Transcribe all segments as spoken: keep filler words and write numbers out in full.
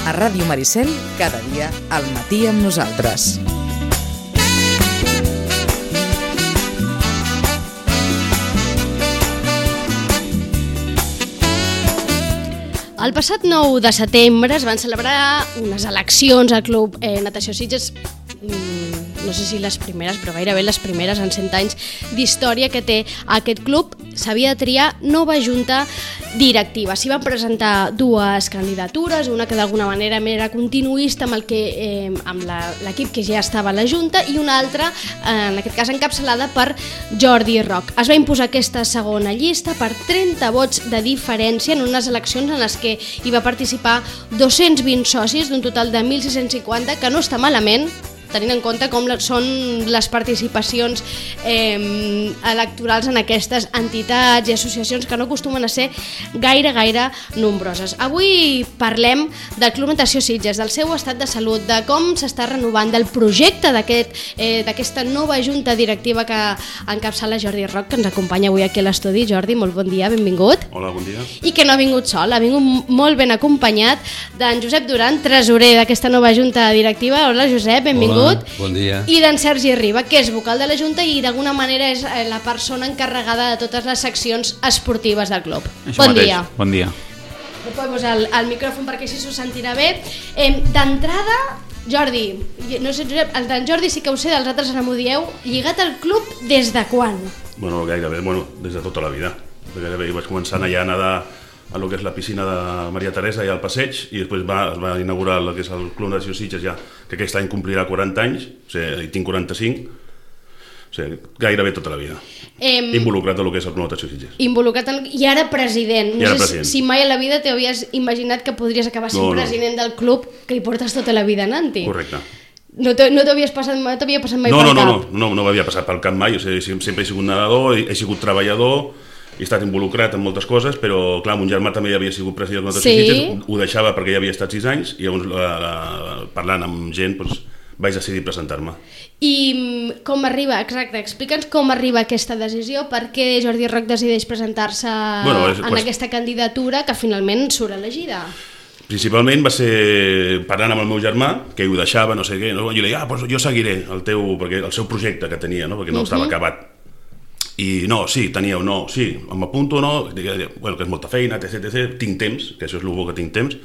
A Ràdio Maricel, cada dia al matí amb nosaltres. El passat nou de setembre es van celebrar unes eleccions al Club eh, Natació Sitges, no sé si les primeres, però gairebé les primeres en cent anys d'història que té aquest club. S'havia de triar nova junta directiva. S'hi van presentar dues candidatures, una que d'alguna manera era continuista amb el que eh, amb l'equip que ja estava a la junta, i una altra, eh, en aquest cas encapçalada per Jordi Roc. Es va imposar aquesta segona llista per trenta vots de diferència en unes eleccions en les que hi va participar dos-cents vint socis d'un total de mil sis-cents cinquanta, que no està malament, tenint en compte com són les participacions eh, electorals en aquestes entitats i associacions que no acostumen a ser gaire, gaire nombroses. Avui parlem del Club Natació Sitges, del seu estat de salut, de com s'està renovant, del projecte d'aquest, eh, d'aquesta nova junta directiva que encapçala Jordi Roc, que ens acompanya avui aquí a l'estudi. Jordi, molt bon dia, benvingut. Hola, bon dia. I que no ha vingut sol, ha vingut molt ben acompanyat d'en Josep Duran, tresorer d'aquesta nova junta directiva. Hola, Josep, benvingut. Hola, bon dia. I d'en Sergi Riba, que és vocal de la Junta i d'alguna manera és la persona encarregada de totes les seccions esportives del club. Això bon mateix. dia. Bon dia. Puc posar el, el micròfon perquè així s'ho sentirà bé. Eh, D'entrada, Jordi, no sé, Josep, el d'en Jordi sí que ho sé, dels altres no m'ho dieu, lligat al club des de quan? Bueno, gairebé, bueno, des de tota la vida. Gairebé vaig començar allà a nedar a lo que és la piscina de Maria Teresa i al passeig, i després va, es va inaugurar el que és el Club Natació Sitges, ja, que aquest any complirà quaranta anys, o sigui, tinc quaranta-cinc, o sigui, gairebé tota la vida. Eh, involucrat en el que és el Club Natació Sitges. Involucrat en... I ara president. No I ara sé president. Si mai a la vida t'havies imaginat que podries acabar sent no, no. president del club que hi portes tota la vida anant-hi. Correcte. No t'havies passat, no t'havia passat mai no, pel no, cap? No, no, no, no m'havia passat pel cap mai, o sigui, sempre he sigut nedador, he sigut treballador, he estat involucrat en moltes coses, però clar, mon germà també havia sigut president del Natació sí. Sitges, ho deixava perquè ja havia estat sis anys, i llavors la, la, parlant amb gent doncs, vaig decidir presentar-me. I com arriba, exacte, explica'ns com arriba aquesta decisió, per què Jordi Roc decideix presentar-se bueno, en quest... aquesta candidatura que finalment surt elegida? Principalment va ser parlant amb el meu germà, que ho deixava, no sé què, no? Jo li deia, ah, doncs jo seguiré el teu, perquè el seu projecte que tenia, no? Perquè no uh-huh. estava acabat. I no, sí, tenia o no, sí, m'apunto o no, bueno, que és molta feina, etc, etcètera, tinc temps, que això és el bo que tinc temps,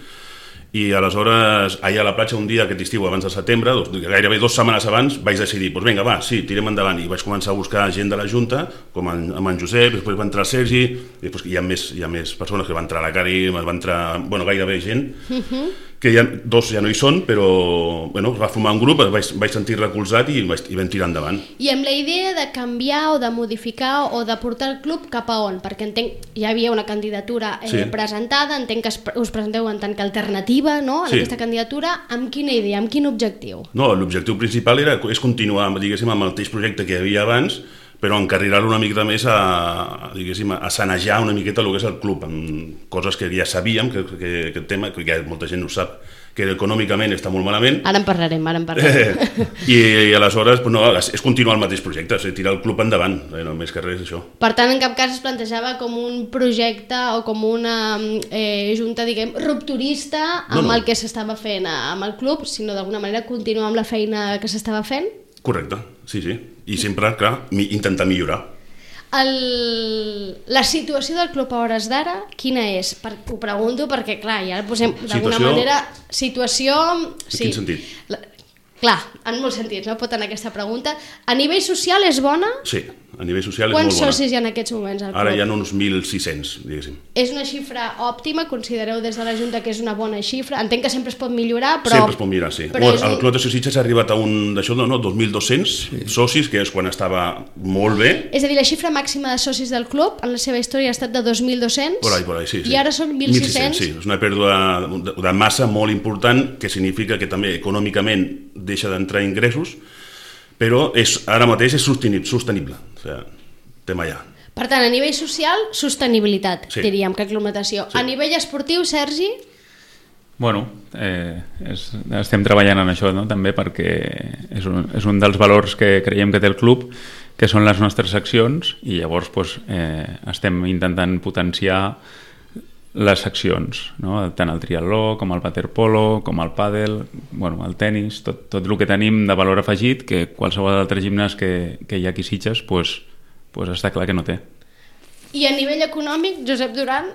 i aleshores, allà a la platja un dia aquest estiu abans de setembre, doncs, gairebé dues setmanes abans, vaig decidir, doncs vinga, va, sí, tirem endavant, i vaig començar a buscar gent de la Junta, com en, amb en Josep, després va entrar el Sergi, i després hi ha més, hi ha més persones que van entrar a la Cari, va entrar, bueno, gairebé gent, uh-huh. que ja, dos ja no hi són, però bueno, va formar un grup, vaig, vaig sentir recolzat i, vaig, i vam tirar endavant. I amb la idea de canviar o de modificar o de portar el club cap a on? Perquè entenc, hi havia una candidatura eh, sí. presentada, entenc que us presenteu en tant que alternativa, no?, en sí. aquesta candidatura. Amb quina idea, amb quin objectiu? No, l'objectiu principal era, és continuar, diguéssim, amb el mateix projecte que hi havia abans, però encarrilar-lo una miqueta més a, diguéssim, a sanejar una miqueta el que és el club, amb coses que ja sabíem, que, que, que el tema, que ja molta gent no sap, que econòmicament està molt malament. Ara en parlarem, ara en parlarem. I, i aleshores, no, és continuar el mateix projecte, és tirar el club endavant, eh, no més que res això. Per tant, en cap cas es plantejava com un projecte o com una eh, junta, diguem, rupturista amb no, no. el que s'estava fent amb el club, sinó d'alguna manera continuar amb la feina que s'estava fent? Correcte, sí, sí. I sempre, clar, intentar millorar. El... La situació del club a hores d'ara, quina és? Per... Ho pregunto perquè, clar, ja posem d'alguna situació... manera... Situació... En sí. quin sentit? La... Clar, en molts sentits, no? Pot anar aquesta pregunta. A nivell social és bona? Sí, a nivell social és Quants molt bona. Quants socis hi ha en aquests moments al club? Ara hi ha uns mil sis-cents, diguéssim. És una xifra òptima? Considereu des de la Junta que és una bona xifra? Entenc que sempre es pot millorar, però... Sempre es pot millorar, sí. Bueno, el Club Natació Sitges ha arribat a un d'això, no, dos mil dos-cents sí. socis, que és quan estava molt bé. És a dir, la xifra màxima de socis del club en la seva història ha estat de dos mil dos-cents? Por ahí, por ahí, sí, sí. I ara són mil sis-cents? Sí, és una pèrdua de, de massa molt important, que significa que també econòmicament deixa d'entrar ingressos, però és, ara mateix és sostenible, sostenible. O sigui, tema allà. Per tant, a nivell social, sostenibilitat, sí. diríem, que Club Natació. Sí. A nivell esportiu, Sergi? Bueno, eh, és, estem treballant en això, no? També perquè és un, és un dels valors que creiem que té el club, que són les nostres accions, i llavors pues, eh, estem intentant potenciar les seccions, no? Tant el triatló com el waterpolo, com el pàdel, bueno, el tennis, tot, tot el que tenim de valor afegit que qualsevol altre gimnàs que, que hi ha aquí a Sitges pues, pues està clar que no té. I a nivell econòmic, Josep Duran?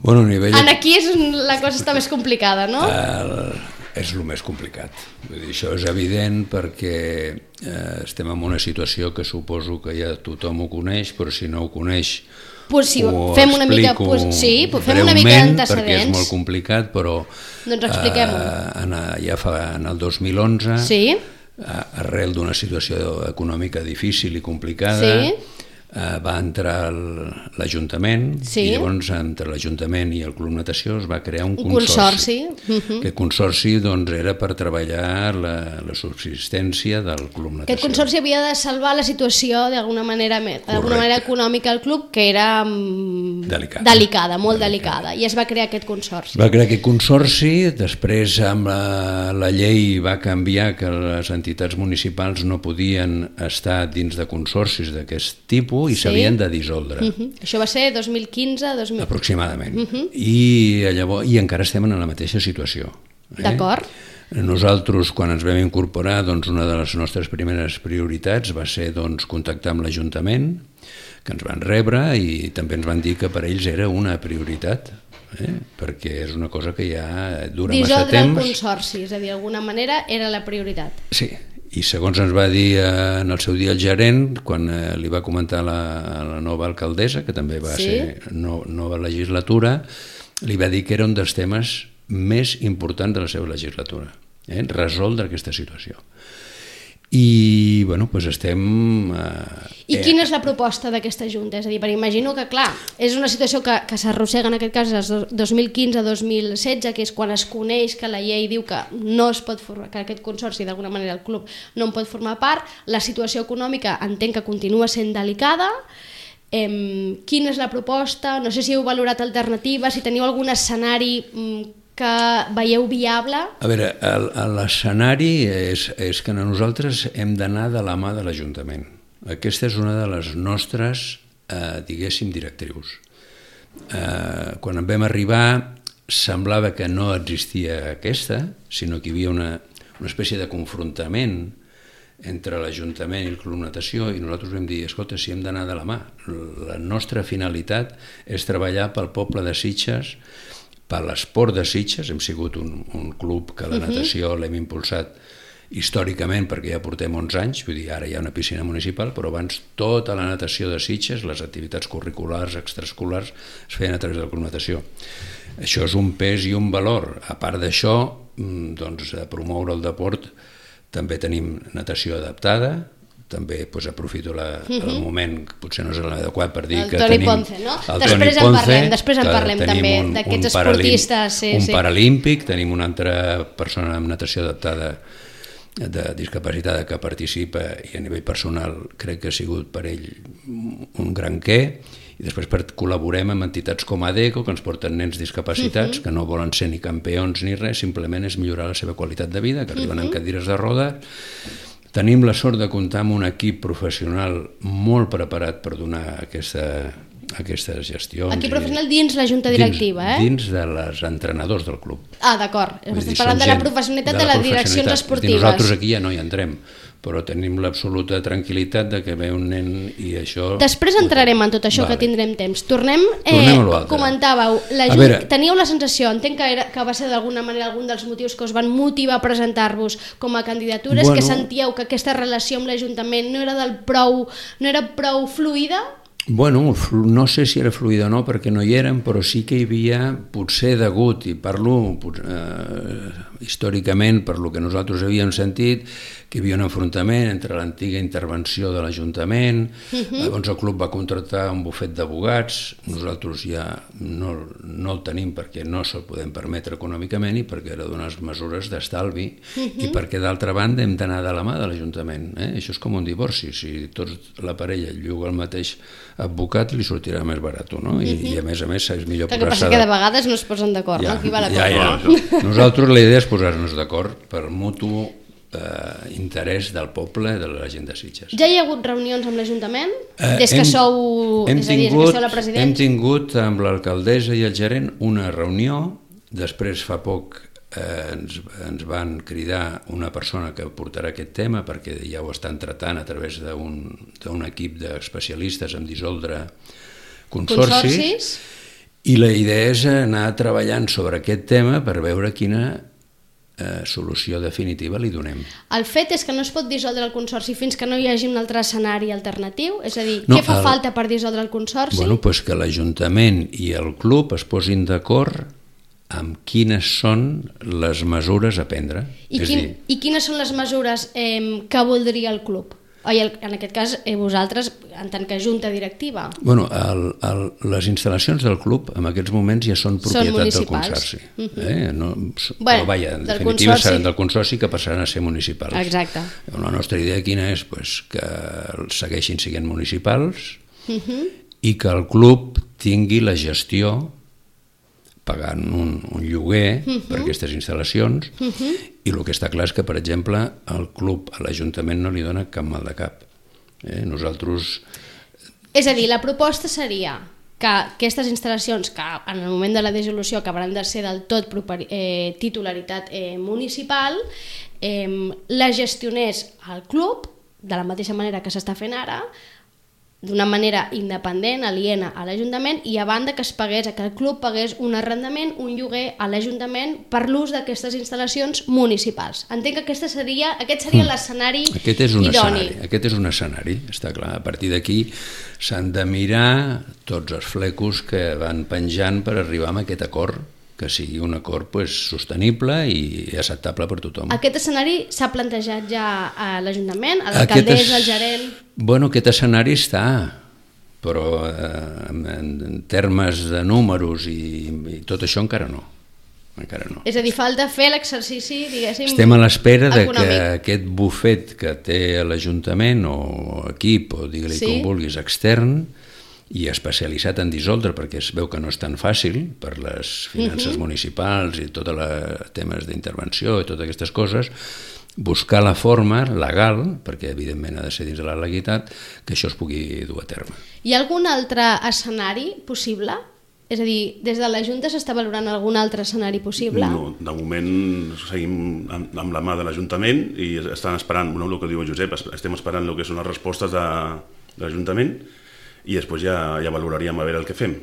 Bueno, a nivell... En aquí és la cosa està més complicada, no? El... és el més complicat. Vull dir, això és evident perquè eh, estem en una situació que suposo que ja tothom ho coneix, però si no ho coneix pues sí, ho fem una mica, explico pues, sí, fem una mica d'antecedents. Perquè és molt complicat, però doncs expliquem-ho. Eh, ja fa en el dos mil onze, sí. eh, arrel d'una situació econòmica difícil i complicada, sí. Uh, va entrar l'Ajuntament sí. i llavors entre l'Ajuntament i el Club Natació es va crear un, un consorci. consorci. Uh-huh. Aquest consorci doncs, era per treballar la, la subsistència del Club Natació. Aquest consorci havia de salvar la situació d'alguna manera, d'alguna manera econòmica al club, que era delicada, delicada molt delicada. delicada, i es va crear aquest consorci. Va crear aquest consorci, després amb la, la llei va canviar que les entitats municipals no podien estar dins de consorcis d'aquest tipus i sí. s'havien de dissoldre. Uh-huh. Això va ser dos mil quinze dos mil... Aproximadament. Uh-huh. I, llavors, I encara estem en la mateixa situació. Eh? D'acord. Nosaltres, quan ens vam incorporar, doncs, una de les nostres primeres prioritats va ser doncs, contactar amb l'Ajuntament, que ens van rebre i també ens van dir que per ells era una prioritat, eh? perquè és una cosa que ja dura dissoldre massa temps. Dissoldre el consorci, és a dir, d'alguna manera era la prioritat. Sí. I segons ens va dir eh, en el seu dia el gerent, quan eh, li va comentar la, la nova alcaldessa, que també va sí. ser no, nova legislatura, li va dir que era un dels temes més importants de la seva legislatura, eh? resoldre aquesta situació. I, bueno, doncs estem... Eh, I quina és la proposta d'aquesta Junta? És a dir, perquè imagino que, clar, és una situació que, que s'arrossega en aquest cas des de dos mil quinze a dos mil setze, que és quan es coneix que la llei diu que no es pot formar, que aquest consorci, d'alguna manera, el club no en pot formar part, la situació econòmica entenc que continua sent delicada. Eh, quina és la proposta? No sé si heu valorat alternatives, si teniu algun escenari que veieu viable? A veure, l'escenari és, és que nosaltres hem d'anar de la mà de l'Ajuntament. Aquesta és una de les nostres, eh, diguéssim, directrius. Eh, quan en vam arribar semblava que no existia aquesta, sinó que hi havia una, una espècie de confrontament entre l'Ajuntament i el Club Natació i nosaltres vam dir, escolta, si hem d'anar de la mà. La nostra finalitat és treballar pel poble de Sitges, per l'esport de Sitges. Hem sigut un, un club que la natació l'hem impulsat històricament perquè ja portem onze anys, vull dir, ara hi ha una piscina municipal, però abans tota la natació de Sitges, les activitats curriculars, extraescolars, es feien a través del Club Natació. Això és un pes i un valor. A part d'això, doncs, de promoure el deport, també tenim natació adaptada, també doncs, aprofito la, uh-huh. el moment, potser no és l'adequat per dir el que Toni tenim... Ponce, no? El després Toni en Ponce, parlem, després en parlem també un, d'aquests un esportistes. Sí, un sí. paralímpic, tenim una altra persona amb natació adaptada de discapacitada que participa i a nivell personal crec que ha sigut per ell un gran què, i després per, col·laborem amb entitats com ADECO que ens porten nens discapacitats uh-huh. que no volen ser ni campions ni res, simplement és millorar la seva qualitat de vida, que arriben uh-huh. en cadires de roda. Tenim la sort de comptar amb un equip professional molt preparat per donar aquesta, aquestes gestions. Equip professional dins la junta directiva, dins, eh? Dins de les entrenadors del club. Ah, d'acord. Estàs parlant de la professionalitat de, de les direccions esportives. Nosaltres aquí ja no hi entrem, però tenim l'absoluta tranquil·litat de que ve un nen i això... Després entrarem en tot això, vale. Que tindrem temps. Tornem, eh, Tornem comentàveu, la Junta, teníeu la sensació, entenc que, era, que va ser d'alguna manera algun dels motius que us van motivar a presentar-vos com a candidatures, bueno, que sentíeu que aquesta relació amb l'Ajuntament no era del prou, no era prou fluida? Bueno, no sé si era fluida o no, perquè no hi érem, però sí que hi havia, potser degut, i parlo eh, històricament per lo que nosaltres havíem sentit, que hi havia un enfrontament entre l'antiga intervenció de l'Ajuntament, uh-huh. llavors el club va contractar un bufet d'advocats, nosaltres ja no, no el tenim perquè no se'l podem permetre econòmicament i perquè era d'unes mesures d'estalvi uh-huh. i perquè d'altra banda hem d'anar de la mà de l'Ajuntament. Eh? Això és com un divorci, si tots la parella lloga el mateix advocat li sortirà més barat, no? I, uh-huh. i a més a més és millor posar-se... El que passa que de vegades no es posen d'acord, ja, no? Qui va ja, ja. Nosaltres la idea és posar-nos d'acord per mutu eh, interès del poble, de la gent de Sitges. Ja hi ha hagut reunions amb l'Ajuntament? Eh, Des que hem, sou, hem és a dir, des que tingut, sou la presidenta? hem tingut amb l'alcaldessa i el gerent una reunió, després fa poc eh, ens, ens van cridar una persona que portarà aquest tema perquè ja ho estan tratant a través d'un d'un equip d'especialistes en dissoldre consorcis, Consorcis? I la idea és anar treballant sobre aquest tema per veure quina eh, solució definitiva li donem. El fet és que no es pot dissoldre el consorci fins que no hi hagi un altre escenari alternatiu? És a dir, No, què fa el- falta per dissoldre el consorci? Bueno, pues que l'Ajuntament i el club es posin d'acord amb quines són les mesures a prendre. I, És quin, dir, I quines són les mesures eh, que voldria el club? Oi, el, en aquest cas, eh, vosaltres, en tant que junta directiva. bueno, el, el, les instal·lacions del club en aquests moments ja són propietat del municipals. consorci. Mhm. eh? no, Bueno, però vaja, en del definitiva consorci. seran del consorci que passaran a ser municipals. Exacte. La nostra idea quina és? Pues que segueixin sent municipals Uh-huh. i que el club tingui la gestió pagant un, un lloguer uh -huh. per aquestes instal·lacions uh -huh. i el que està clar és que, per exemple, el club a l'Ajuntament no li dona cap mal de cap. Eh? Nosaltres... És a dir, la proposta seria que aquestes instal·lacions, que en el moment de la dissolució acabaran de ser del tot properi, eh, titularitat eh, municipal, eh, la gestionés el club, de la mateixa manera que s'està fent ara, d'una manera independent, aliena a l'Ajuntament, i a banda que es pagués, que el club pagués un arrendament, un lloguer a l'Ajuntament per l'ús d'aquestes instal·lacions municipals. Entenc que aquesta seria, aquest seria l'escenari Aquest és un idoni. escenari, aquest és un escenari, està clar. A partir d'aquí s'han de mirar tots els flecos que van penjant per arribar a aquest acord, que sigui un acord pues, sostenible i acceptable per tothom. Aquest escenari s'ha plantejat ja a l'Ajuntament, a Aquest l'alcaldessa, es- al gerent... Bueno, aquest escenari està, però eh, en, en termes de números i, i tot això encara no. Encara no. És a dir, falta fer l'exercici, diguéssim, Estem a l'espera de que econòmic. aquest bufet que té l'Ajuntament o equip, o digue-li Sí. com vulguis, extern, i especialitzat en dissoldre, perquè es veu que no és tan fàcil per les finances Mhm. municipals i tots els temes d'intervenció i totes aquestes coses, buscar la forma legal, perquè evidentment ha de ser dins de la legalitat, que això es pugui dur a terme. Hi ha algun altre escenari possible? És a dir, des de la Junta s'està valorant algun altre escenari possible? No, de moment seguim amb, amb la mà de l'Ajuntament i estan esperant, no, el que diu el Josep, es- estem esperant el que són les respostes de, de l'Ajuntament i després ja, ja valoraríem a veure el que fem.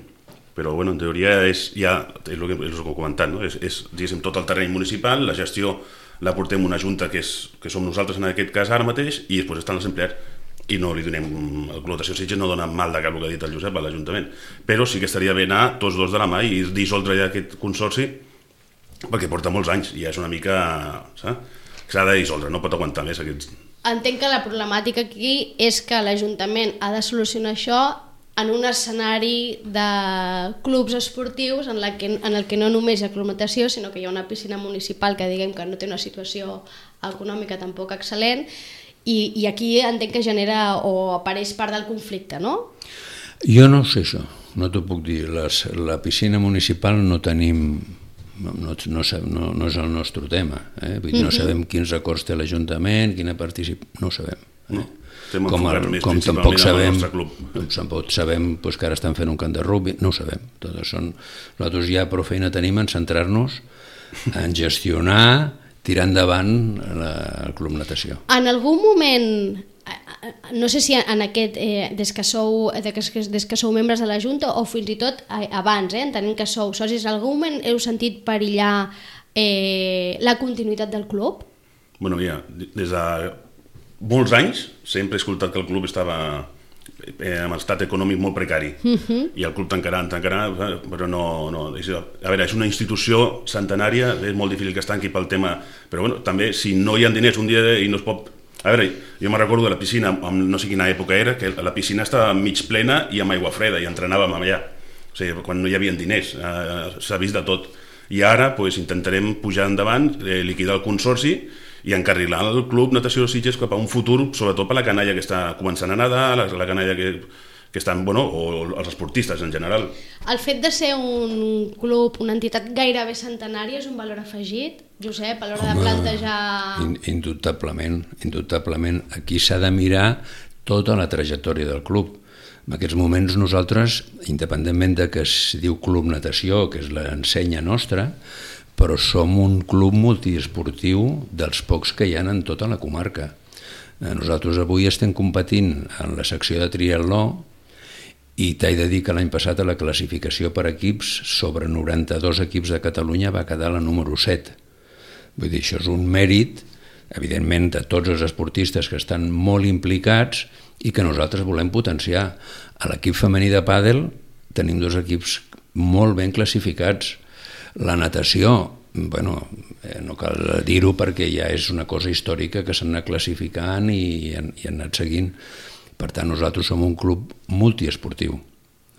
Però, bueno, en teoria és, ja, és el que, és el que he comentat, no? és, és diguéssim, tot el terreny municipal, la gestió la portem una junta que, és, que som nosaltres en aquest cas ara mateix i després estan els empleats i no li donem, el Club Natació Sitges no dona mal de cap el que ha dit el Josep a l'Ajuntament, però sí que estaria bé anar tots dos de la mà i dissoldre ja aquest consorci perquè porta molts anys i ja és una mica, saps? S'ha de dissoldre, no pot aguantar més aquests... Entenc que la problemàtica aquí és que l'Ajuntament ha de solucionar això en un escenari de clubs esportius en, la que, en el que no només hi ha club natació, sinó que hi ha una piscina municipal que diguem que no té una situació econòmica tampoc excel·lent, i, i aquí entenc que genera o apareix part del conflicte, no? Jo no sé això, no t'ho puc dir. Les, la piscina municipal no tenim... No, no, no, no, no és el nostre tema. Eh? Vull dir, no sabem quins acords té l'Ajuntament, quina participa... No ho sabem. Eh? No, estem com enfocats el, més com principalment tampoc en el sabem, nostre club. tampoc sabem pues, que ara estan fent un camp de rugby, no ho sabem. Tot són, nosaltres ja prou feina tenim en centrar-nos en gestionar, tirar endavant la, el Club Natació. En algun moment, no sé si en aquest, eh, des, que sou, des, que, des que sou membres de la Junta o fins i tot eh, abans, eh, entenent que sou socis, en algun moment heu sentit perillar eh, la continuïtat del club? Bueno, mira, des de molts anys sempre he escoltat que el club estava eh, amb estat econòmic molt precari uh-huh. i el club tancarà, tancarà, però no, no és, a veure, és una institució centenària, és molt difícil que es tanqui pel tema, però bueno, també si no hi ha diners un dia i no es pot... A veure, jo me'n recordo de la piscina, no sé quina època era, que la piscina estava mig plena i amb aigua freda i entrenàvem allà, o sigui, quan no hi havia diners, eh, s'ha vist de tot. I ara pues, intentarem pujar endavant, eh, liquidar el consorci i encarrilar el Club Natació Sitges cap a un futur, sobretot per la canalla que està començant a nedar, la, la canalla que, que estan, bueno, o els esportistes en general. El fet de ser un club, una entitat gairebé centenària és un valor afegit, Josep, a l'hora de plantejar... Indubtablement, indubtablement. Aquí s'ha de mirar tota la trajectòria del club. En aquests moments nosaltres, independentment de que es diu Club Natació, que és l'ensenya nostra, però som un club multiesportiu dels pocs que hi ha en tota la comarca. Nosaltres avui estem competint en la secció de triatló i t'he de dir que l'any passat a la classificació per equips, sobre noranta-dos equips de Catalunya va quedar la número set. Vull dir, això és un mèrit, evidentment, de tots els esportistes que estan molt implicats i que nosaltres volem potenciar. A l'equip femení de pàdel tenim dos equips molt ben classificats. La natació, bueno, no cal dir-ho perquè ja és una cosa històrica que s'han anat classificant i han, i han anat seguint. Per tant, nosaltres som un club multiesportiu,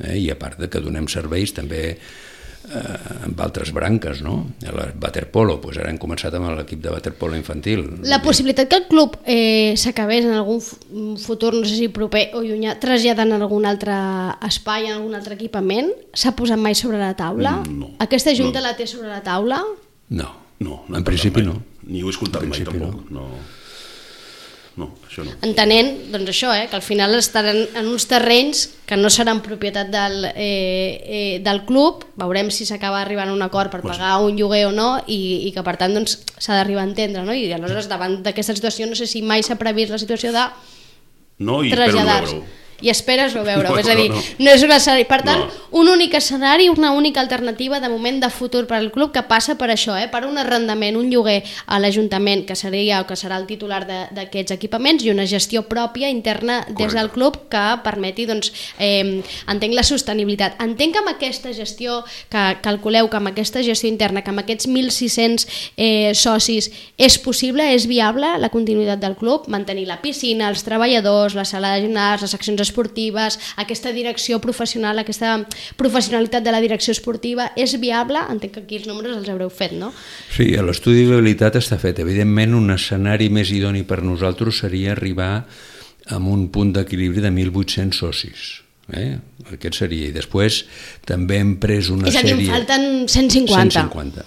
eh? I a part de que donem serveis també eh, amb altres branques, no? El waterpolo, doncs ara hem començat amb l'equip de waterpolo infantil. La possibilitat que el club eh, s'acabés en algun futur, no sé si proper o llunyà, traslladant en algun altre espai, en algun altre equipament, s'ha posat mai sobre la taula? No. Aquesta junta no. la té sobre la taula? No, no, no en principi mai. no. Ni ho he escoltat mai tampoc. No. no. No, això no. Entenent, doncs això, eh, que al final estaran en uns terrenys que no seran propietat del, eh, eh, del club, veurem si s'acaba arribant a un acord per pagar un lloguer o no, i, i que per tant doncs, s'ha d'arribar a entendre, no? I aleshores davant d'aquesta situació no sé si mai s'ha previst la situació de no, i traslladar-se. I esperes-ho veure, no, és a dir, no, no, no. no és un escenari. Per tant, no. un únic escenari, una única alternativa de moment de futur per al club que passa per això, eh? Per un arrendament, un lloguer a l'Ajuntament que seria o que serà el titular d'aquests equipaments i una gestió pròpia interna des Correcte. del club que permeti, doncs, eh, entenc la sostenibilitat. Entenc que amb aquesta gestió, que calculeu que amb aquesta gestió interna, que amb aquests mil sis-cents eh, socis, és possible, és viable la continuïtat del club, mantenir la piscina, els treballadors, la sala de gimnàs, les seccions esportives, aquesta direcció professional, aquesta professionalitat de la direcció esportiva, és viable? Entenc que aquí els números els haureu fet, no? Sí, l'estudi de viabilitat està fet. Evidentment, un escenari més idoni per nosaltres seria arribar a un punt d'equilibri de mil vuit-cents socis. Eh? Aquest seria. I després també hem pres una és a dir, sèrie... en falten cent cinquanta. cent cinquanta.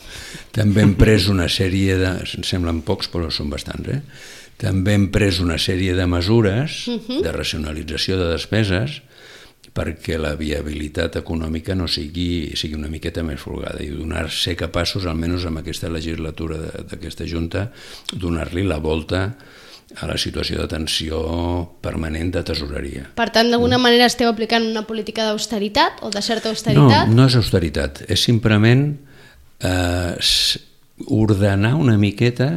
També hem pres una sèrie de... Em semblen pocs, però són bastants, eh? També hem pres una sèrie de mesures uh-huh. de racionalització de despeses perquè la viabilitat econòmica no sigui, sigui una miqueta més folgada i donar ser capaços, almenys amb aquesta legislatura d'aquesta Junta, donar-li la volta a la situació de tensió permanent de tesoreria. Per tant, d'alguna manera esteu aplicant una política d'austeritat o de certa austeritat? No, no és austeritat, és simplement eh, ordenar una miqueta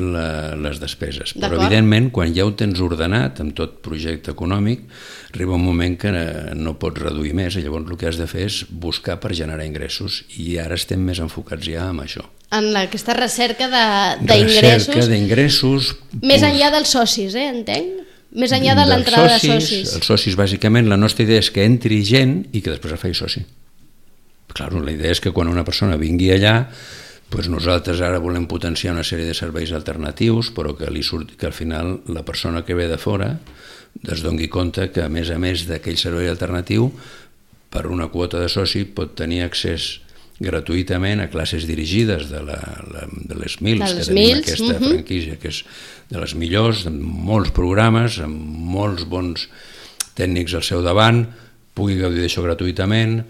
La, les despeses. Però evidentment quan ja ho tens ordenat amb tot projecte econòmic arriba un moment que no pots reduir més i llavors el que has de fer és buscar per generar ingressos i ara estem més enfocats ja en això. En la, aquesta recerca d'ingressos recerca d'ingressos més enllà dels socis, eh, entenc? Més enllà de l'entrada de socis. Els socis, bàsicament, la nostra idea és que entri gent i que després es faci soci. Clar, la idea és que quan una persona vingui allà pues nosaltres ara volem potenciar una sèrie de serveis alternatius, però que, li surti, que al final la persona que ve de fora es doni compte que, a més a més d'aquell servei alternatiu, per una quota de soci pot tenir accés gratuïtament a classes dirigides de, la, la, de les Mils, de les que tenim Mils, aquesta uh-huh. franquícia, que és de les millors, amb molts programes, amb molts bons tècnics al seu davant, pugui gaudir d'això gratuïtament,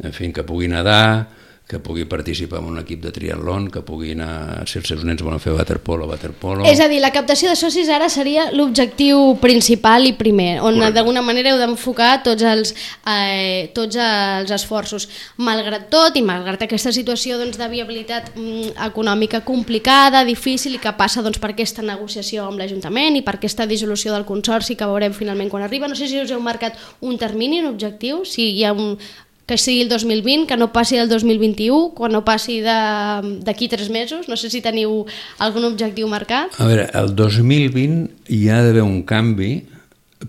en fi, que pugui nedar, que pugui participar en un equip de triatlon, que pugui anar, si els seus nens volen fer waterpolo, waterpolo... És a dir, la captació de socis ara seria l'objectiu principal i primer, on d'alguna manera heu d'enfocar tots els, eh, tots els esforços. Malgrat tot, i malgrat aquesta situació doncs, de viabilitat mm, econòmica complicada, difícil, i que passa doncs, per aquesta negociació amb l'Ajuntament i per aquesta dissolució del consorci que veurem finalment quan arriba, no sé si us heu marcat un termini, un objectiu, si hi ha un... que sigui el dos mil vint, que no passi el dos mil vint-i-u, quan no passi d'aquí tres mesos, no sé si teniu algun objectiu marcat. A veure, el dos mil vint hi ha d'haver un canvi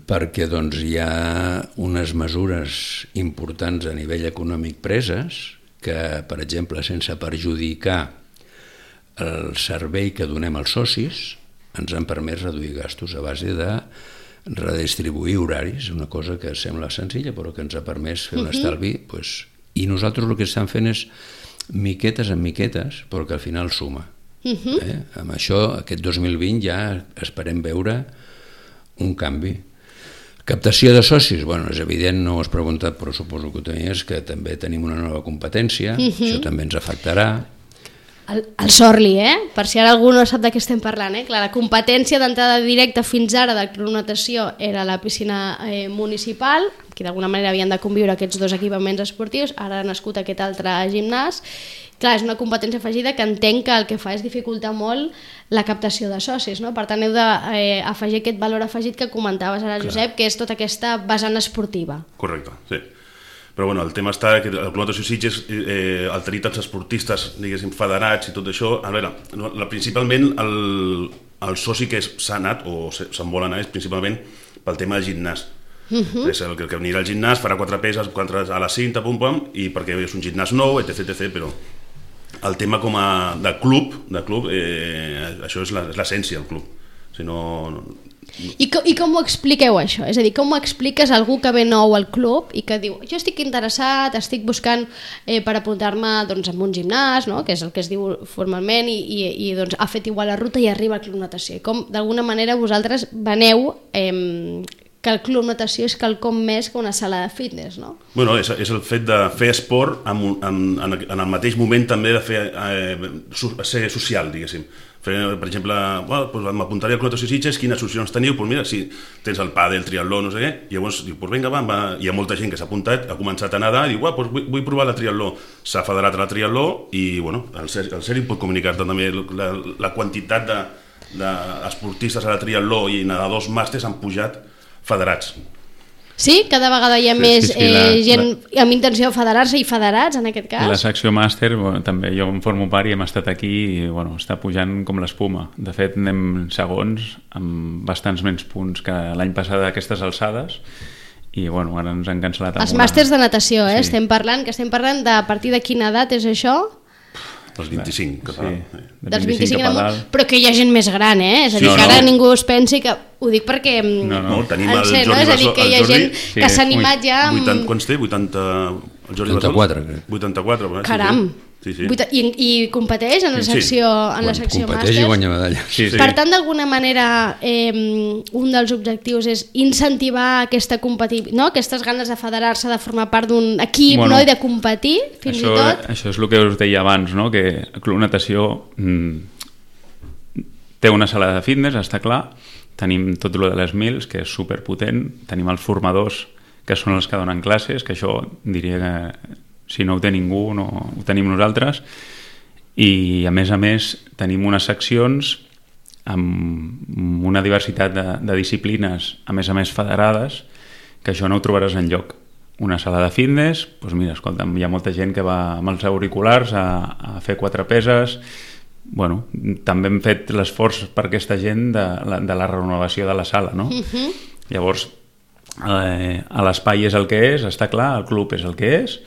perquè doncs, hi ha unes mesures importants a nivell econòmic preses que, per exemple, sense perjudicar el servei que donem als socis, ens han permès reduir gastos a base de redistribuir horaris, una cosa que sembla senzilla però que ens ha permès fer un estalvi, pues, i nosaltres el que estem fent és miquetes en miquetes, però que al final suma. Uh-huh. eh? Amb això, aquest dos mil vint ja esperem veure un canvi. Captació de socis, bueno, és evident, no ho has preguntat, però suposo que ho tenies, que també tenim una nova competència, uh-huh. Això també ens afectarà. El, el Sorli, eh? Per si ara algú no sap de què estem parlant, eh? Clar, la competència d'entrada directa fins ara del Club Natació era la piscina eh, municipal, que d'alguna manera havien de conviure aquests dos equipaments esportius, ara ha nascut aquest altre gimnàs. Clar, és una competència afegida que entenc que el que fa és dificultar molt la captació de socis, no? Per tant, heu d'afegir eh, aquest valor afegit que comentaves ara, Clar. Josep, que és tota aquesta vessant esportiva. Correcte, sí. Però bueno, el tema està que el Club Natació Sitges eh, el tenir tants esportistes, diguéssim, federats i tot això, a veure, la, principalment el, el soci que s'ha anat o se'n vol anar és principalment pel tema del gimnàs. Uh-huh. És el que, que anirà al gimnàs, farà quatre peses, quatre a la cinta, pum, pum, i perquè és un gimnàs nou, etc, etc, però el tema com a de club, de club eh, això és l'essència del club. Si no... I, co I com ho expliqueu això? És a dir, com ho expliques a algú que ve nou al club i que diu, jo estic interessat, estic buscant eh, per apuntar-me doncs, en un gimnàs, no? Que és el que es diu formalment, i, i, i doncs, ha fet igual la ruta i arriba al Club Natació. I com d'alguna manera vosaltres veneu eh, que el Club Natació és quelcom més que una sala de fitness, no? Bueno, és, és el fet de fer esport en, en, en, en el mateix moment també de fer eh, ser social, diguéssim. Per exemple, bueno, doncs m'apuntaré al Club Natació Sitges, quines solucions teniu? Doncs mira, si tens el pàdel, el triatló, no sé què, i llavors diu, doncs vinga, va, va, hi ha molta gent que s'ha apuntat, ha començat a nedar, i diu, doncs vull, vull provar la triatló. S'ha federat a la triatló i, bueno, el Sergi pot comunicar-te també la, la quantitat d'esportistes de, a la triatló i nedadors màsters han pujat federats. Sí? Cada vegada hi ha sí, més sí, sí, la, eh, gent la... amb intenció de federar-se i federats, en aquest cas? La secció màster, bueno, també jo em formo part i hem estat aquí i bueno, està pujant com l'espuma. De fet, anem segons amb bastants menys punts que l'any passat a aquestes alçades i bueno, ara ens han cancel·lat. Els màsters de natació, eh? Sí. Estem parlant, que estem parlant de a partir de quina edat és això? Dels vint-i-cinc, que sí, de dels vint-i-cinc amunt, però que hi ha gent més gran, eh? És a dir, sí, que ara no. Ningú es pensi que... Ho dic perquè... No, no, tenim el Jordi Basó. És a dir, que hi ha gent sí, que s'ha animat ja... Amb... vuitanta, quants té? vuitanta... El Jordi vuitanta-quatre, crec. vuitanta-quatre, eh? Caram! Sí, sí. I, I competeix en la secció, sí. en la secció competeix màsters. I guanya medalla. Sí, sí. Per tant, d'alguna manera, eh, un dels objectius és incentivar aquesta competició, no? Aquestes ganes de federar-se, de formar part d'un equip, bueno, no? I de competir, fins això, i tot. Això és el que us deia abans, no? Que el Club Natació mm, té una sala de fitness, està clar, tenim tot el de les mils, que és superpotent, tenim els formadors, que són els que donen classes, que això diria que si no ho té ningú, no ho tenim nosaltres, i a més a més tenim unes seccions amb una diversitat de, de disciplines, a més a més federades, que això no ho trobaràs enlloc. Una sala de fitness, doncs mira, escolta'm, hi ha molta gent que va amb els auriculars a, a fer quatre peses. Bueno, també hem fet l'esforç per aquesta gent de la, de la renovació de la sala, no? Uh-huh. Llavors, eh, a l'espai és el que és, està clar, el club és el que és,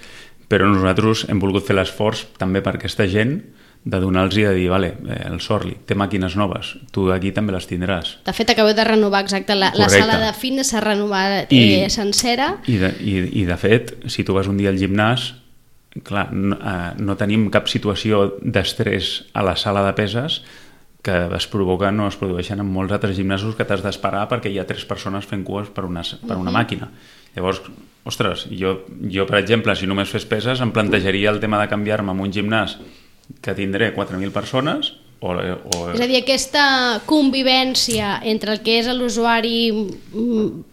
però nosaltres hem volgut fer l'esforç també per aquesta gent de donar-los i de dir, vale, eh, el Sorli té màquines noves, tu aquí també les tindràs. De fet, acabeu de renovar exacte, la, la sala de fitness s'ha renovat eh, sencera. I de, i, I de fet, si tu vas un dia al gimnàs, clar, no, eh, no tenim cap situació d'estrès a la sala de peses que es provoquen o es produeixen en molts altres gimnasos que t'has d'esperar perquè hi ha tres persones fent cues per una, per una uh-huh. màquina. Llavors, ostres, jo, jo per exemple, si només fes peses, em plantejaria el tema de canviar-me en un gimnàs que tindré quatre mil persones o, o... És a dir, aquesta convivència entre el que és l'usuari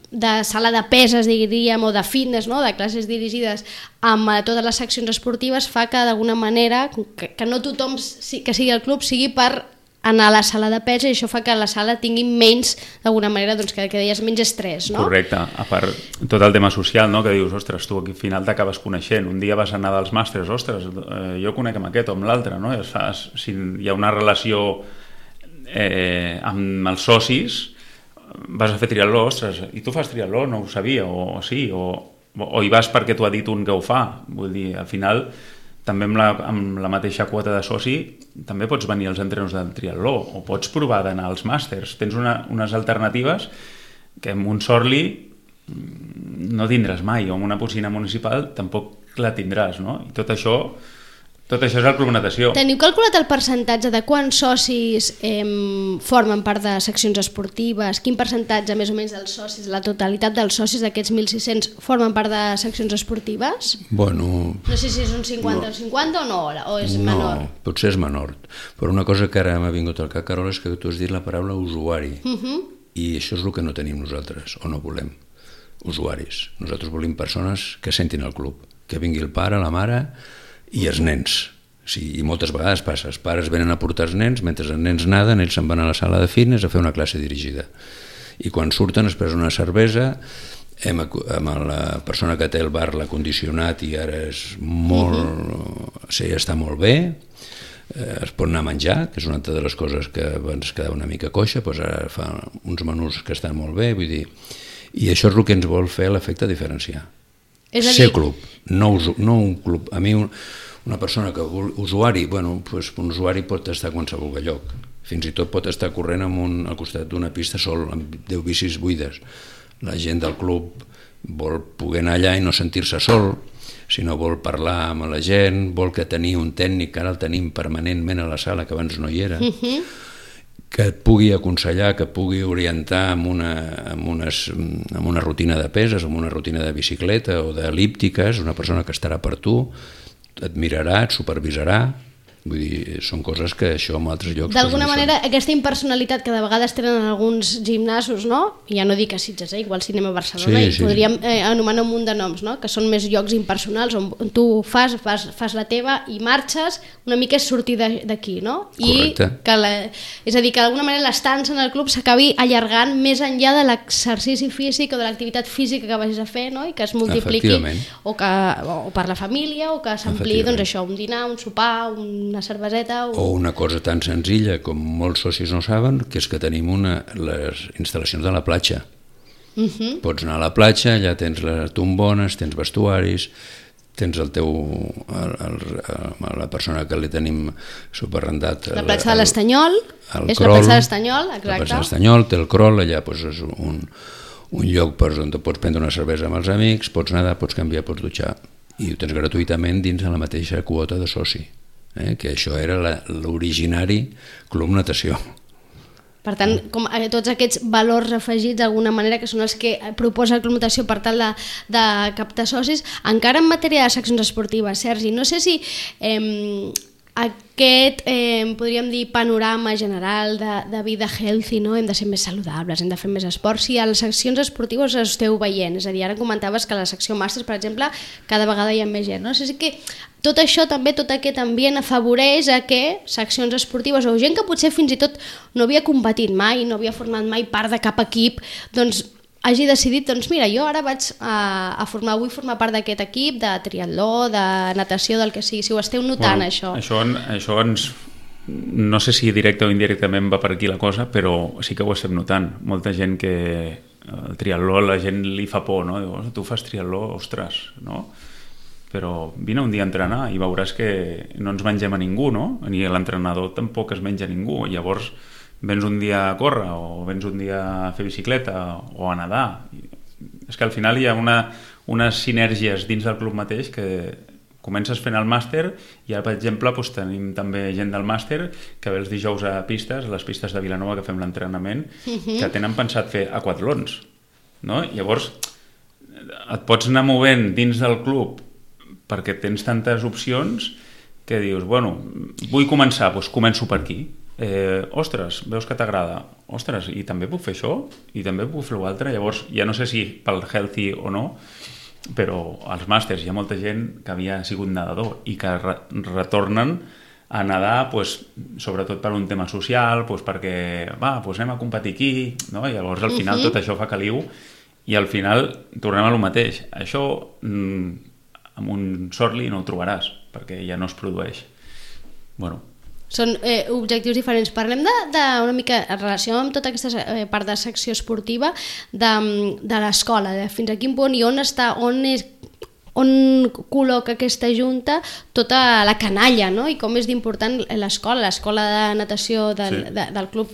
de sala de peses, diríem, o de fitness, no? De classes dirigides amb totes les seccions esportives fa que d'alguna manera que, que no tothom que sigui al club sigui per anar a la sala de pes i això fa que la sala tingui menys, d'alguna manera, doncs, que, que deies menys estrès, no? Correcte, a part tot el tema social, no? Que dius, ostres, tu al final t'acabes coneixent, un dia vas anar dels màsters, ostres, eh, jo conec amb aquest o amb l'altre, no? I fas, si hi ha una relació eh, amb els socis, vas a fer triatló, ostres, i tu fas triatló, no ho sabia, o, o sí, o, o hi vas perquè t'ho ha dit un que ho fa, vull dir, al final també amb la, amb la mateixa quota de soci també pots venir als entrenos del triatló o pots provar d'anar als màsters, tens una, unes alternatives que en un Sorli no tindràs mai, o en una piscina municipal tampoc la tindràs, no? I tot això, tot això és el Club Natació. Teniu calculat el percentatge de quants socis eh, formen part de seccions esportives? Quin percentatge, més o menys, dels socis, la totalitat dels socis d'aquests mil sis-cents formen part de seccions esportives? Bueno... No sé si és un cinquanta o no, cinquanta o no, o és menor? No, potser és menor. Però una cosa que ara m'ha vingut al cap, Carol, és que tu has dit la paraula usuari. Uh -huh. I això és el que no tenim nosaltres, o no volem. Usuaris. Nosaltres volem persones que sentin el club, que vingui el pare, la mare i els nens. Sí, i moltes vegades passa, els pares venen a portar els nens, mentre els nens naden, ells se'n van a la sala de fitness a fer una classe dirigida. I quan surten es presen una cervesa, hem, amb la persona que té el bar l'ha condicionat i ara és molt... Uh-huh. Sí, està molt bé, eh, es pot anar a menjar, que és una altra de les coses que abans quedava una mica coixa, doncs ara fa uns menús que estan molt bé, vull dir... I això és el que ens vol fer l'efecte diferenciar. És a dir... Ser club, no, no un club. A mi un, una persona que vol usuari, bueno, pues un usuari pot estar a qualsevol lloc. Fins i tot pot estar corrent amb un, al costat d'una pista sol, amb deu bicis buides. La gent del club vol poder anar allà i no sentir-se sol, sinó vol parlar amb la gent, vol que tenir un tècnic, que ara el tenim permanentment a la sala, que abans no hi era, uh-huh. que et pugui aconsellar, que pugui orientar amb una, amb, unes, amb una rutina de peses, amb una rutina de bicicleta o d'elíptiques, una persona que estarà per tu, et mirarà, et supervisarà. Vull dir, són coses que això en altres llocs... D'alguna manera, aquesta impersonalitat que de vegades tenen alguns gimnasos, no? Ja no dic a Sitges, eh? Igual si anem a Barcelona, sí, i sí, podríem eh, anomenar un munt de noms, no? Que són més llocs impersonals on tu fas, fas, fas la teva i marxes, una mica és sortir d'aquí, no? Correcte. I que la, és a dir, que d'alguna manera l'estança en el club s'acabi allargant més enllà de l'exercici físic o de l'activitat física que vagis a fer, no? I que es multipliqui, o, que, o per la família, o que s'ampliï, doncs això, un dinar, un sopar, un una cerveseta... O... o una cosa tan senzilla com molts socis no saben, que és que tenim una, les instal·lacions de la platja. Uh-huh. Pots anar a la platja, allà tens les tombones, tens vestuaris, tens el teu... El, el, el, la persona que li tenim superrendat... La platja de l'Estanyol, és crol, la platja de l'Estanyol, exacte. La platja de l'Estanyol, té el crol, allà doncs, és un, un lloc per on pots prendre una cervesa amb els amics, pots nedar, pots canviar, pots dutxar, i ho tens gratuïtament dins de la mateixa quota de soci. Eh, que això era l'originari Club Natació. Per tant, com tots aquests valors afegits d'alguna manera que són els que proposa el Club Natació per tal de, de captar socis, encara en matèria de seccions esportives, Sergi, no sé si eh, aquest, eh, podríem dir, panorama general de, de vida healthy, no? Hem de ser més saludables, hem de fer més esport, si a les seccions esportives ho esteu veient, és a dir, ara comentaves que a la secció màsters, per exemple, cada vegada hi ha més gent, no? O sigui que tot això també, tot aquest ambient afavoreix a que seccions esportives o gent que potser fins i tot no havia competit mai, no havia format mai part de cap equip, doncs hagi decidit, doncs mira, jo ara vaig a, a formar, vull formar part d'aquest equip de triatló, de natació, del que sigui, si ho esteu notant, bueno, això. Això, això ens... No sé si directe o indirectament va per aquí la cosa, però sí que ho estem notant. Molta gent que el triatló, la gent li fa por, no? Diu, tu fas triatló, ostres, no? Però vine un dia a entrenar i veuràs que no ens mengem a ningú, no? Ni l'entrenador tampoc es menja a ningú. Llavors vens un dia a córrer o vens un dia a fer bicicleta o a nedar. És que al final hi ha una, unes sinergies dins del club mateix que comences fent el màster i ara, per exemple, doncs, tenim també gent del màster que ve els dijous a pistes, a les pistes de Vilanova que fem l'entrenament, uh-huh. que tenen pensat fer aquatlons, no? Llavors et pots anar movent dins del club perquè tens tantes opcions que dius, bueno, vull començar, doncs començo per aquí. Eh, ostres, veus que t'agrada, ostres, i també puc fer això, i també puc fer l'altre, llavors ja no sé si pel healthy o no, però als màsters hi ha molta gent que havia sigut nedador i que re retornen a nedar, pues, sobretot per un tema social, pues, perquè va, pues anem a competir aquí, no? I llavors al final uh-huh. tot això fa caliu i al final tornem a lo mateix. Això mmm, amb un Sorli no ho trobaràs, perquè ja no es produeix. Bueno. Són eh, objectius diferents. Parlem de, de una mica en relació amb tota aquesta eh, part de secció esportiva de, de l'escola, de fins a quin punt i on està, on és, on col·loca aquesta junta tota la canalla, no? I com és d'important l'escola, l'escola de natació del, sí. de, del club,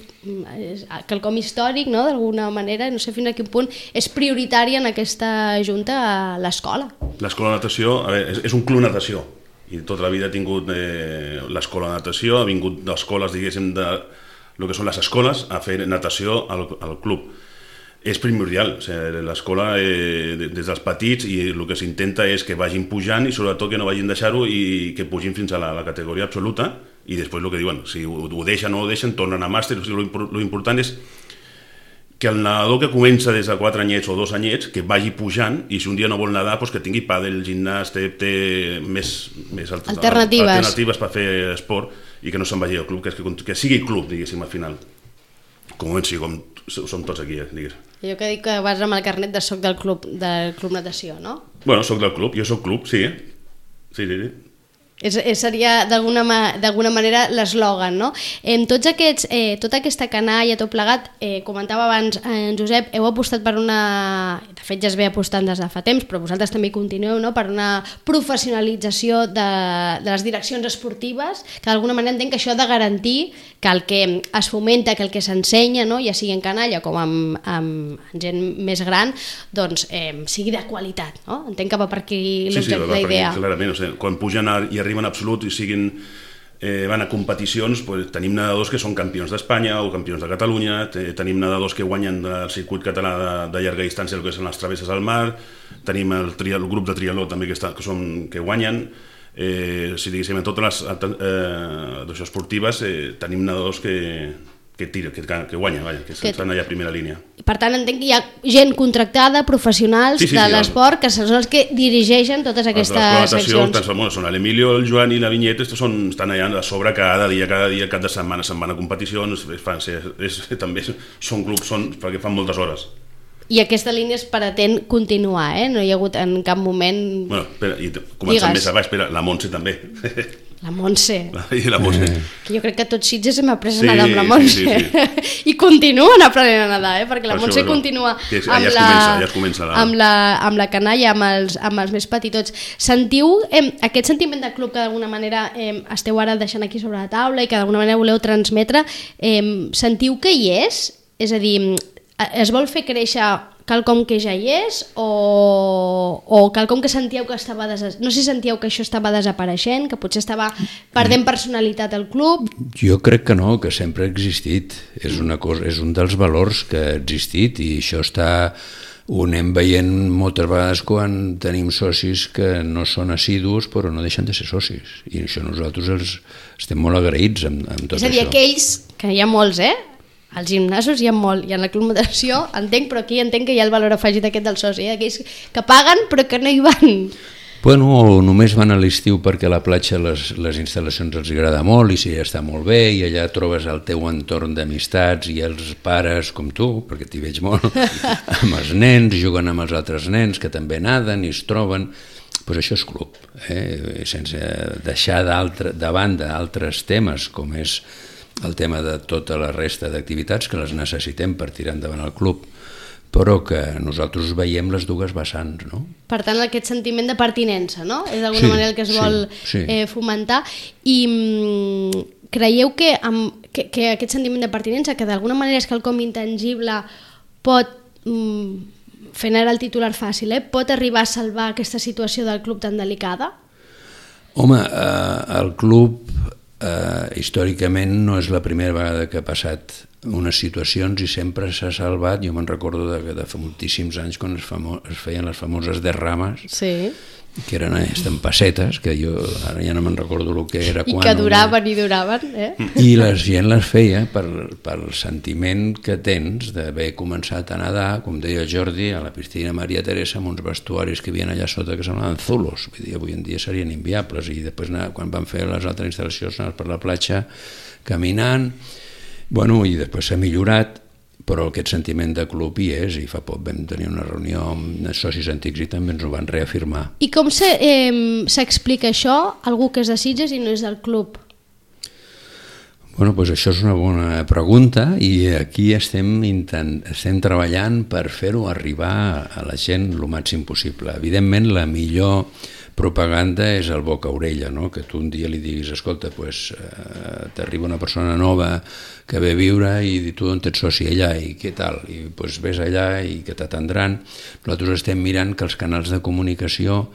és quelcom històric, no? D'alguna manera, no sé fins a quin punt és prioritària en aquesta junta l'escola. L'escola de natació, a veure, és, és un club natació, i tota la vida ha tingut eh, l'escola de natació, ha vingut d'escoles, diguéssim, de el que són les escoles, a fer natació al, al club. És primordial, o sigui, l'escola eh, des dels petits, i el que s'intenta és que vagin pujant i sobretot que no vagin deixar-ho i que pugin fins a la, la categoria absoluta, i després el que diuen, si ho, ho deixen o no ho deixen, tornen a màster. O sigui, lo important és que el nedador que comença des de quatre anyets o dos anyets, que vagi pujant, i si un dia no vol nedar, doncs que tingui pàdel, gimnàs, té, té més, més alt, alternatives. alternatives per fer esport, i que no se'n vagi al club, que, és que, que sigui club, diguéssim, al final. Com sí, com som tots aquí, eh, diguéssim. Jo que dic que vas amb el carnet de soc del club, del club natació, no? Bueno, soc del club, jo soc club, sí. Sí, sí, sí. És, és, seria d'alguna ma, manera l'eslògan, no? En tots aquests, eh, tota aquesta canalla, tot plegat, eh, comentava abans en Josep, heu apostat per una... De fet ja es ve apostant des de fa temps, però vosaltres també continueu, no? Per una professionalització de, de les direccions esportives, que d'alguna manera entenc que això ha de garantir que el que es fomenta, que el que s'ensenya, no? Ja sigui en canalla com amb, amb gent més gran, doncs eh, sigui de qualitat, no? Entenc que va per aquí l'objecte, la idea. Sí, sí, clarament, o sigui, quan pugen a, i arriben a absolut i siguin, eh, van a competicions, pues, tenim nedadors que són campions d'Espanya o campions de Catalunya, tenim nedadors que guanyen el circuit català de, de llarga distància, el que són les travesses al mar, tenim el, el grup de triatló també que, està, que, són, que guanyen, eh, si diguéssim, en totes les eh, esportives eh, tenim nedadors que, que, tira, que, que guanyen, vaja, que, que estan allà a primera línia. Per tant, entenc que hi ha gent contractada, professionals sí, sí, de sí, l'esport, que són els que dirigeixen totes aquestes seccions. Són l'Emilio, el Joan i la Vinyeta, són, estan allà a sobre cada dia, cada dia, cap de setmana, se'n van a competicions, fan, és, també són clubs, són, perquè fan moltes hores. I aquesta línia es pretén continuar, eh? No hi ha hagut en cap moment... Bueno, espera, i començant més a baix, espera, la Montse també. La Montse. I la Montse. Que jo crec que tots Sitges hem après a nedar amb la Montse. Sí, sí, sí. I continuen aprenent a nedar, eh? Perquè la per Montse això, continua amb, ja la, comença, ja comença la... amb, la, amb la canalla, amb els, amb els més petitots. Sentiu eh, aquest sentiment de club que d'alguna manera eh, esteu ara deixant aquí sobre la taula i que d'alguna manera voleu transmetre, eh, sentiu que hi és? És a dir, es vol fer créixer quelcom que ja hi és o, o quelcom que sentíeu que estava des... no sé si sentíeu que això estava desapareixent, que potser estava perdent personalitat al club? Jo crec que no, que sempre ha existit, és, una cosa, és un dels valors que ha existit i això està, ho anem veient moltes vegades quan tenim socis que no són assidus però no deixen de ser socis i això nosaltres els, estem molt agraïts amb, amb tot això. És a dir, això. Aquells, que hi ha molts, eh? Als gimnasos hi ha molt, i en la club natació entenc, però aquí entenc que hi ha el valor afegit aquest del soci, eh? Aquells que paguen però que no hi van. Bueno, o només van a l'estiu perquè a la platja les, les instal·lacions els agrada molt i si està molt bé i allà trobes el teu entorn d'amistats i els pares com tu, perquè t'hi veig molt, amb els nens, juguen amb els altres nens que també naden i es troben, doncs això és club, eh? Sense deixar de banda altres temes com és el tema de tota la resta d'activitats que les necessitem per tirar endavant el club, però que nosaltres veiem les dues vessants, no? Per tant, aquest sentiment de pertinença, no? És d'alguna sí, manera el que es vol sí, sí. Eh, fomentar. I mm, creieu que, amb, que, que aquest sentiment de pertinença, que d'alguna manera és quelcom intangible, pot, mm, fent ara el titular fàcil, eh, pot arribar a salvar aquesta situació del club tan delicada? Home, eh, el club... Uh, històricament no és la primera vegada que ha passat unes situacions i sempre s'ha salvat. Jo me'n recordo de, de fa moltíssims anys quan es, famo, es feien les famoses derrames, sí. Que eren estampassetes, que jo ara ja no me'n recordo el que era. I quan, que duraven i duraven, eh? I la gent les feia per, pel sentiment que tens d'haver començat a nedar, com deia Jordi, a la piscina Maria Teresa, amb uns vestuaris que hi havia allà sota que semblaven zulos, vull dir, avui en dia serien inviables, i després quan van fer les altres instal·lacions anaves per la platja caminant, bueno, i després s'ha millorat, però aquest sentiment de club hi és, i fa poc vam tenir una reunió amb socis antics i també ens ho van reafirmar. I com s'explica eh, això a algú que és de Sitges i no és del club? Bueno, doncs això és una bona pregunta i aquí estem, intent, estem treballant per fer-ho arribar a la gent el màxim possible. Evidentment, la millor propaganda és el boca-orella, no? Que tu un dia li diguis, escolta, pues, eh, t'arriba una persona nova que ve a viure i tu on ets soci allà i què tal? I pues, ves allà i que t'atendran. Nosaltres estem mirant que els canals de comunicació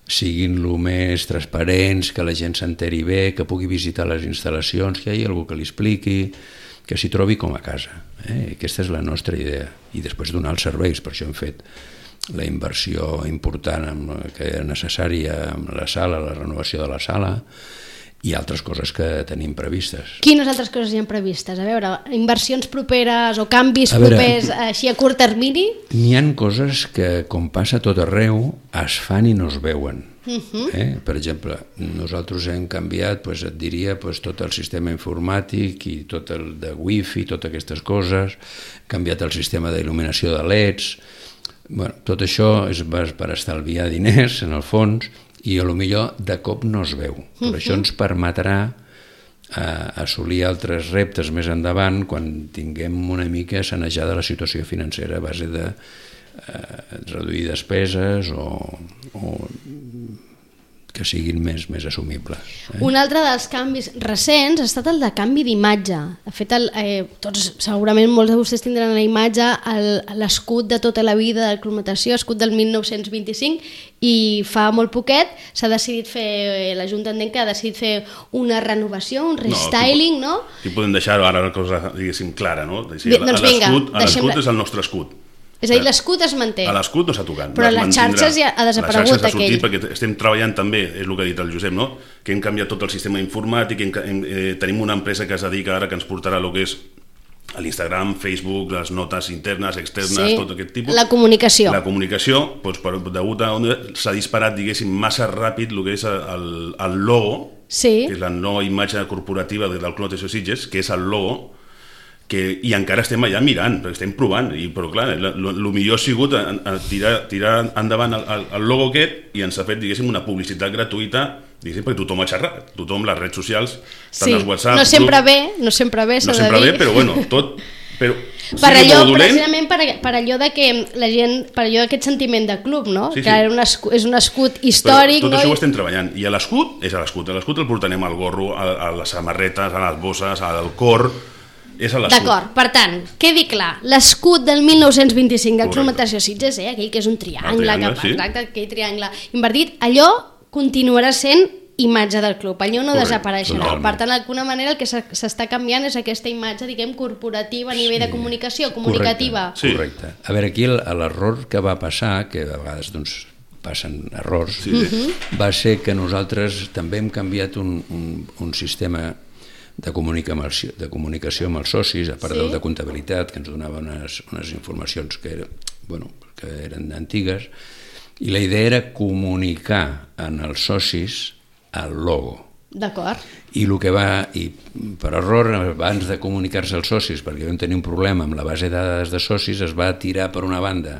siguin el més transparents, que la gent s'enteri bé, que pugui visitar les instal·lacions, que hi hagi algú que li expliqui, que s'hi trobi com a casa. Eh? Aquesta és la nostra idea. I després donar els serveis, per això hem fet la inversió important amb, que era necessària amb la sala, la renovació de la sala, i altres coses que tenim previstes. Quines altres coses hi ha previstes? A veure, inversions properes o canvis a veure, propers així a curt termini? N'hi ha coses que, com passa a tot arreu, es fan i no es veuen. Uh-huh. eh? Per exemple, nosaltres hem canviat, pues, et diria, pues, tot el sistema informàtic i tot el de wifi, totes aquestes coses, hem canviat el sistema d'il·luminació de leds. Bueno, tot això és per estalviar diners, en el fons, i a lo millor de cop no es veu. Però uh-huh. això ens permetrà eh, assolir altres reptes més endavant quan tinguem una mica sanejada la situació financera a base de eh, reduir despeses o, o que siguin més, més assumibles. Eh? Un altre dels canvis recents ha estat el de canvi d'imatge. De fet, el, eh, tots, segurament molts de vostès tindran la imatge, l'escut de tota la vida del Club Natació, escut del mil nou-cents vint-i-cinc, i fa molt poquet s'ha decidit fer, l'Ajuntament que ha decidit fer una renovació, un restyling, no? Aquí podem deixar ara una cosa, diguéssim, clara, no? Sí, doncs vinga, l'escut és el nostre escut. És a dir, l'escut es manté. L'escut no s'ha tocat. Però les xarxes ja ha desaparegut aquell. aquell. Perquè estem treballant també, és el que ha dit el Josep, no? Que hem canviat tot el sistema informàtic, hem, hem, eh, tenim una empresa que es dedica ara que ens portarà el que és l'Instagram, Facebook, les notes internes, externes, sí, tot aquest tipus. La comunicació. La comunicació, doncs, per, degut a on s'ha disparat, diguéssim, massa ràpid el que és el, el logo, sí. que és la nova imatge corporativa del Club Natació Sitges, que és el logo, que, i encara estem allà mirant, perquè estem provant, i, però clar, el millor ha sigut a, a tirar, tirar endavant el, el logo aquest i ens ha fet, diguéssim, una publicitat gratuïta, diguéssim, perquè tothom ha xerrat, tothom, les redes socials, tant sí. els WhatsApp... No sempre grup, bé, no sempre bé, s'ha no de dir. sempre bé, però bueno, tot... Però, per allò, precisament per, per allò de que la gent, per allò d'aquest sentiment de club, no? Sí, sí. Que era un escut, és un escut històric. Però tot no? això ho estem treballant, i l'escut és l'escut, l'escut el portarem al gorro, a, a les samarretes, a les bosses, al cor... D'acord, per tant, quedi clar, l'escut del mil nou-cents vint-i-cinc del Club Natació Sitges, eh, aquell que és un triangle, triangle que, sí. Exacte, aquell triangle invertit, allò continuarà sent imatge del club, allò no Correcte, desapareixerà. Totalment. Per tant, d'alguna manera el que s'està canviant és aquesta imatge, diguem, corporativa a nivell sí. de comunicació, comunicativa. Correcte. Sí. Correcte. A veure, aquí l'error que va passar, que a vegades doncs, passen errors, sí. uh-huh. va ser que nosaltres també hem canviat un, un, un sistema de comunicació, de comunicació amb els socis, a part sí? del de comptabilitat, que ens donava unes, unes informacions que, era, bueno, que eren antigues, i la idea era comunicar en els socis el logo. D'acord. I el que va, i per error, abans de comunicar-se als socis, perquè vam tenir un problema amb la base de dades de socis, es va tirar per una banda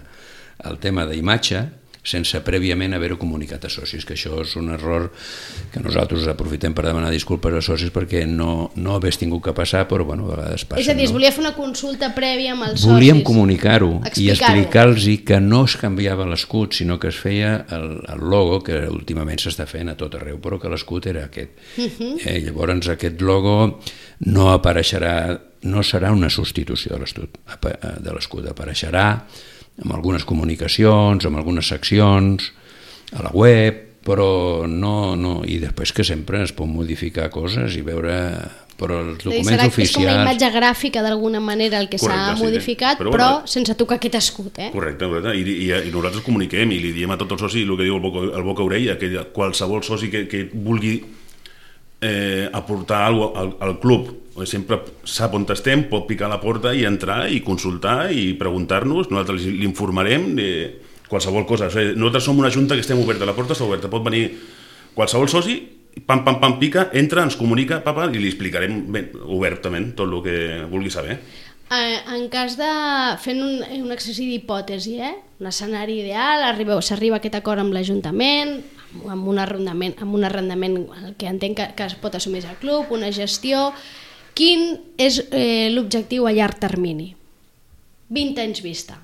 el tema d'imatge, sense prèviament haver-ho comunicat a socis, que això és un error que nosaltres aprofitem per demanar disculpes a socis perquè no, no hagués tingut que passar, però bueno, a vegades passa. És a dir, es no? volia fer una consulta prèvia amb els Volíem socis. comunicar-ho i explicar-los que no es canviava l'escut, sinó que es feia el, el logo, que últimament s'està fent a tot arreu, però que l'escut era aquest. Uh-huh. eh, llavors aquest logo no apareixerà, no serà una substitució de l'escut, apareixerà amb algunes comunicacions, amb algunes seccions, a la web, però no, no, i després que sempre es pot modificar coses i veure, però els documents serà, oficials... És com una imatge gràfica d'alguna manera el que s'ha sí, modificat, però, però bueno, sense tocar aquest escut, eh? Correcte, correcte. I, i, i nosaltres comuniquem i li diem a tots els socis el que diu el boca, el boca orella, que qualsevol soci que, que vulgui eh, aportar alguna cosa al, al club, sempre sap on estem, pot picar a la porta i entrar i consultar i preguntar-nos, nosaltres l'informarem de qualsevol cosa. O sigui, nosaltres som una junta que estem oberta, la porta està oberta, pot venir qualsevol soci, pam, pam, pam, pica, entra, ens comunica, papa, i li explicarem ben, obertament tot el que vulgui saber. En cas de... fent un, un exercici d'hipòtesi, eh? Un escenari ideal, s'arriba a aquest acord amb l'Ajuntament, amb un arrendament, amb un arrendament que entenc que, que es pot assumir al club, una gestió... Quin és eh, l'objectiu a llarg termini? vint anys vista.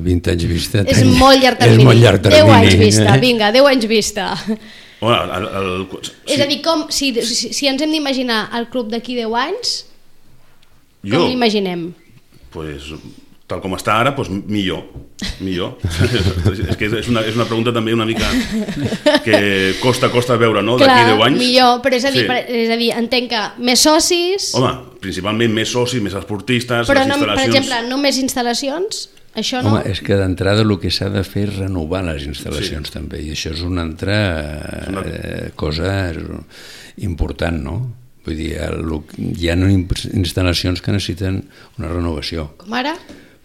vint anys vista... És molt llarg termini. És molt llarg termini. deu anys vista, vinga, deu anys vista. Bueno, el, el, sí. És a dir, com, si, si, si ens hem d'imaginar el club d'aquí deu anys, com jo, l'imaginem? Pues, tal com està ara, pues, millor. millor. És que és una, és una pregunta també una mica que costa, costa veure, no? D'aquí deu anys. Millor, però és a dir, Sí. per, és a dir, entenc que més socis... Home, principalment més socis, més esportistes, però les no, per instal·lacions... exemple, no més instal·lacions? Això no? Home, és que d'entrada el que s'ha de fer és renovar les instal·lacions Sí. també, i això és una altra una- eh, cosa important, no? Vull dir, el, hi ha instal·lacions que necessiten una renovació. Com ara?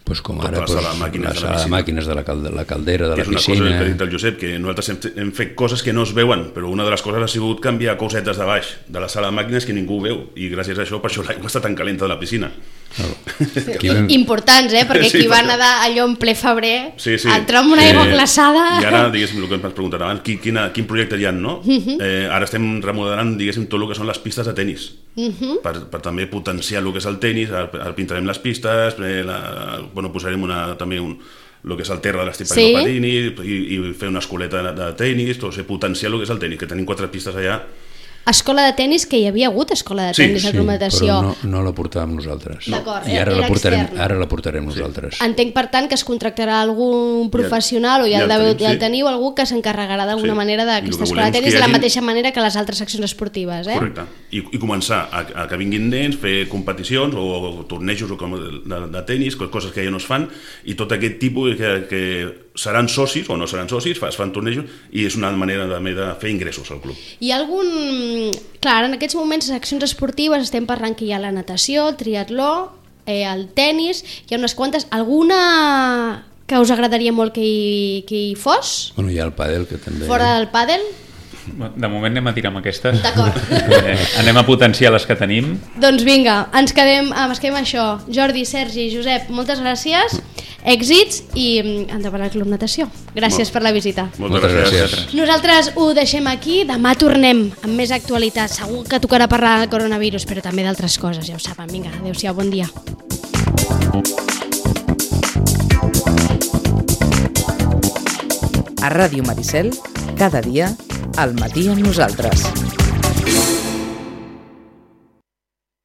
Pues com Tota ara la pues, sala de màquines la de la sala de piscina. màquines de la, calde, la caldera, de que la és una piscina... cosa que ha dit el Josep, que nosaltres hem, hem fet coses que no es veuen, però una de les coses ha sigut canviar cosetes de baix de la sala de màquines que ningú veu, i gràcies a això, per això l'aigua està tan calenta de la piscina. Claro. I, importants, eh? Perquè Sí, qui va perquè- nedar allò en ple febrer, Sí, sí. entrar amb una aigua Eh, glaçada... I ara, diguéssim, el que em vas preguntar abans, quin, quina, quin projecte hi ha, no? Uh -huh. eh, ara estem remodelant, diguéssim, tot el que són les pistes de tennis, uh -huh. per, per també potenciar el que és el tennis, ara, ara pintarem les pistes, eh, la, bueno, posarem una, també un, el que és el terra de l'estip Sí. per patini, i, i fer una escoleta de, de tennis, tot, o sigui, potenciar el que és el tennis, que tenim quatre pistes allà. Escola de tennis, que hi havia hagut escola de Sí, tennis a sí, Club Natació. Però no, no la portàvem nosaltres. D'acord, I ara era la portarem, externa. ara la portarem nosaltres. Entenc, per tant, que es contractarà algun professional o ja, ja el, el deveu, tenim, ja el sí. teniu, algú que s'encarregarà d'alguna Sí. manera I el d'aquesta que escola volem de és tennis que de hi la hagi- mateixa manera que les altres seccions esportives, eh? Correcte. I, i començar a, a que vinguin nens, fer competicions o, o tornejos o com de, de tenis, coses que ja no es fan, i tot aquest tipus que, que seran socis o no seran socis, es fan tornejos, i és una manera també de fer ingressos al club. Hi ha algun... Clar, en aquests moments, seccions esportives, estem parlant que hi ha la natació, el triatló, eh, el tennis, hi ha unes quantes. Alguna que us agradaria molt que hi, que hi fos? Bueno, hi ha el pàdel, que també... Fora del pàdel? De moment anem a tirar amb aquestes. D'acord. Eh, anem a potenciar les que tenim. Doncs vinga, ens quedem, ens quedem amb això. Jordi, Sergi, Josep, moltes gràcies, èxits i mm, endavant al Club Natació. Gràcies Molt. per la visita. Moltes, Moltes gràcies. gràcies. Nosaltres ho deixem aquí, demà tornem amb més actualitat. Segur que tocarà parlar del coronavirus, però també d'altres coses, ja ho saben. Vinga, adéu-siau, bon dia. A Ràdio Maricel, cada dia, al matí amb nosaltres.